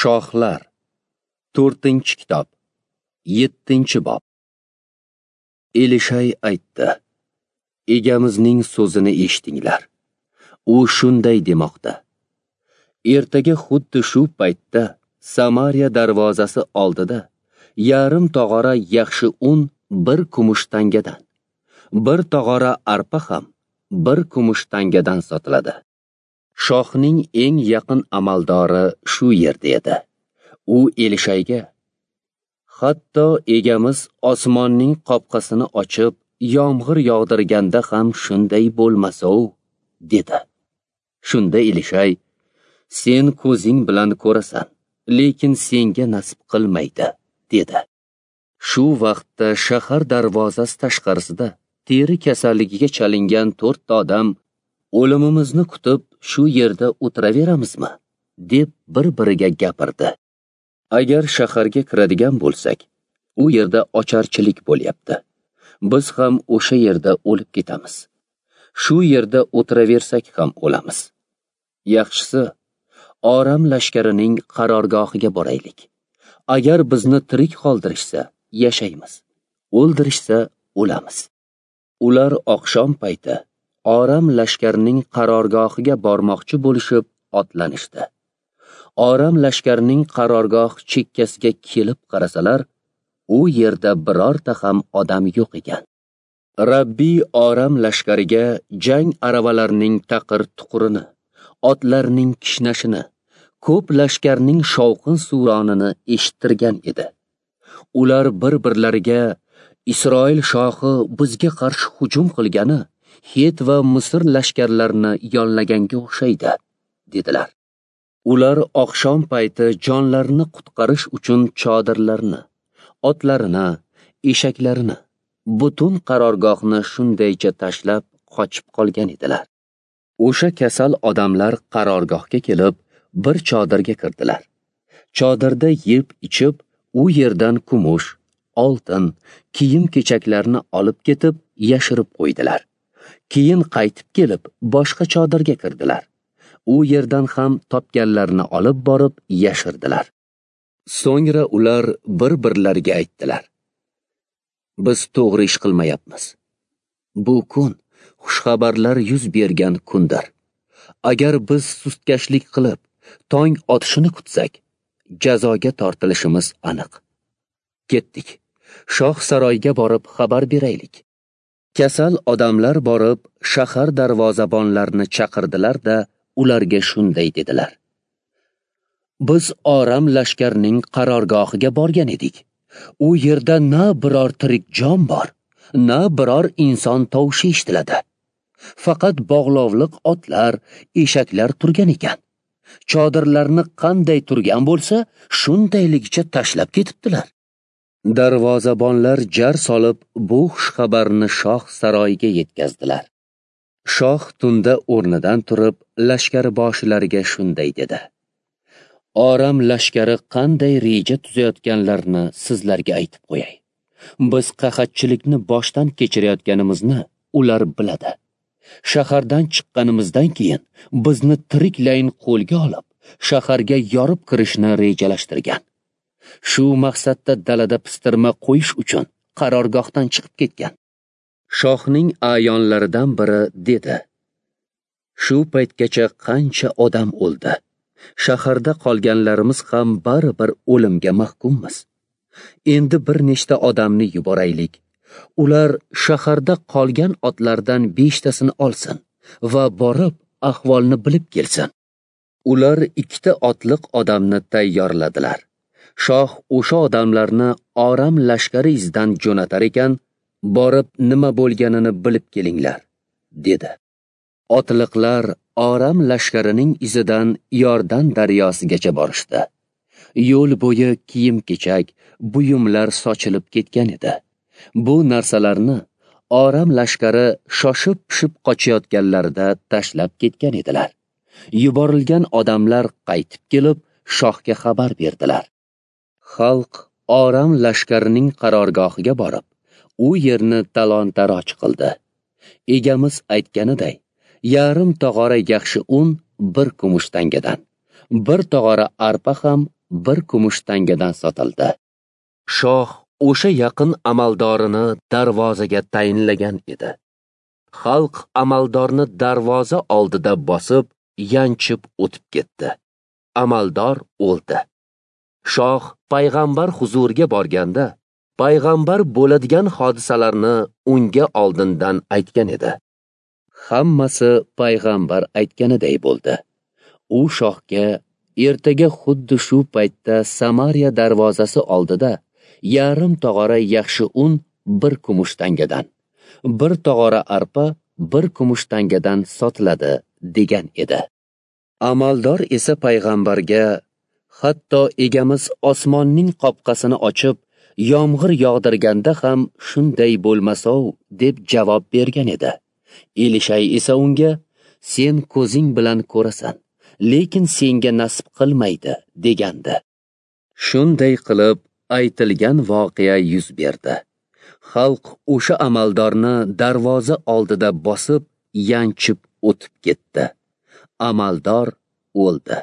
Shohlar, 4-kitob, 7-bob. Elishay aytdi: Egamizning so'zini eshitinglar. U shunday demoqda: Ertaga xuddi shu paytda Samariya darvozasi oldida yarim tog'ora yaxshi un bir kumush tangadan, bir tog'ora arpa ham bir kumush tangadan sotiladi. Shohning eng yaqin amaldori shu yerda edi. U Elishayga: Hatto egamiz osmonning qopqasini ochib, yomg'ir yog'dirganda ham shunday bo'lmasa-u, dedi. Shunda Elishay: Sen ko'zing bilan ko'rasan, lekin senga nasib qilmaydi, dedi. Shu vaqtda shahar darvozasi tashqarisida teri kasalligiga chalingan 4 odam o'limimizni kutib shu yerda o'tiraveramizmi, deb bir-biriga gapirdi. Agar shaharga kiradigan bo'lsak, u yerda ocharchilik bo'lyapti. Biz ham o'sha yerda o'lib ketamiz. Shu yerda o'tiraversak ham o'lamiz. Yaxshisi, Oram lashkarining qarorgohiga boraylik. Agar bizni tirik qoldirishsa, yashaymiz. O'ldirishsa, o'lamiz. Ular oqshom payti Oram lashkarining qarorgohiga bormoqchi bo'lishib otlanishdi. Oram lashkarining qarorgoh chekkasiga kelib qarasalar, u yerda birorta ham odam yo'q ekan. Rabbiy Oram lashkariga jang aravalarining taqir-tuqurini, otlarning kishnashini, ko'p lashkarning shovqin suronini eshittirgan edi. Ular bir-birlariga: Isroil shohi bizga qarshi hujum qilgani Het va Misr lashkarlarini yollaganga o'xshaydi, dedilar. Ular oqshom payti jonlarini qutqarish uchun chodirlarini, otlarini, eshaklarini, butun qarorgohni shundaycha tashlab qochib qolgan edilar. O'sha kasal odamlar qarorgohga kelib, bir chodirga kirdilar. Chodirda yeb ichib, u yerdan kumush, oltin, kiyim-kechaklarni olib ketib, yashirib qo'ydilar. Keyin qaytib kelib, boshqa chodirga kirdilar. U yerdan ham topganlarini olib borib yashirdilar. So'ngra ular bir-birlariga aytdilar: Biz to'g'ri ish qilmayapmiz. Bu kun xushxabarlar yuz bergan kundir. Agar biz sustkashlik qilib, tong otishini kutsak, jazoga tortilishimiz aniq. Ketdik. Shoh saroyga borib xabar beraylik. Kasal odamlar borib shahar darvozabonlarini chaqirdilar-da, ularga shunday dedilar: Biz Oram lashkarining qarorgohiga borgan edik. U yerda na biror tirik jon bor, na biror inson tovushi eshitiladi. Faqat bog'lovliq otlar, eshaklar turgan ekan. Chodirlarni qanday turgan bo'lsa, shundayligicha tashlab ketibdilar. Darvozabonlar jar solib bu xushxabarni shoh saroyiga yetkazdilar. Shoh tunda o'rnidan turib, lashkar boshilariga shunday dedi: Oram lashkari qanday reja tuzayotganlarini sizlarga aytib qo'yay. Biz qahatchilikni boshdan kechirayotganimizni ular biladi. Shahardan chiqqanimizdan keyin bizni tiriklayin qo'lga olib, shaharga yorib kirishni rejalashtirgan. Shu maqsadda dalada pistirma qo'yish uchun qarorgohdan chiqib ketgan. Shohning a'yonlaridan biri dedi: Shu paytgacha qancha odam o'ldi. Shaharda qolganlarimiz ham baribir o'limga mahkummiz. Endi bir nechta odamni yuboraylik. Ular shaharda qolgan otlardan 5 tasini olsin va borib ahvolni bilib kelsin. Ular 2 otliq odamni tayyorladilar. Shoh o'sha odamlarni Oram lashkari izidan jo'natar ekan, borib nima bo'lganini bilib kelinglar, dedi. Otliqlar Oram lashkarining izidan Yordan daryosigacha borishdi. Yo'l bo'yi kiyim-kechak, buyumlar sochilib ketgan edi. Bu narsalarni Oram lashkari shoshib-pishib qochayotganlarida tashlab ketgan edilar. Yuborilgan odamlar qaytib kelib, shohga xabar berdilar. Xalq Oram lashkarining qarorgohiga borib, u yerni talon-taroj qildi. Egamiz aytganiday, yarim tog'ora yaxshi un bir kumush tangadan, bir tog'ora arpa ham bir kumush tangadan sotildi. Shoh o'sha yaqin amaldorini darvozaga tayinlagan edi. Xalq amaldorni darvoza oldida bosib, yanchib o'tib ketdi. Amaldor o'ldi. Shoh payg'ambar huzuriga borganda, payg'ambar bo'ladigan hodisalarni unga oldindan aytgan edi. Hammasi payg'ambar aytganiday bo'ldi. U shohga ertaga xuddi shu paytda Samariya darvozasi oldida yarim tog'ora yaxshi un bir kumush tangadan, bir tog'ora arpa bir kumush tangadan sotiladi degan edi. Amaldor esa payg'ambarga, hatto egamiz osmonning qopqasini ochib, yomg'ir yog'dirganda ham shunday bo'lmasov deb javob bergan edi. Elishay esa unga, sen ko'zing bilan ko'rasan, lekin senga nasib qilmaydi degandi. Shunday qilib aytilgan voqea yuz berdi. Xalq o'sha amaldorni darvoza oldida bosib, yanchib o'tib ketdi. Amaldor o'ldi.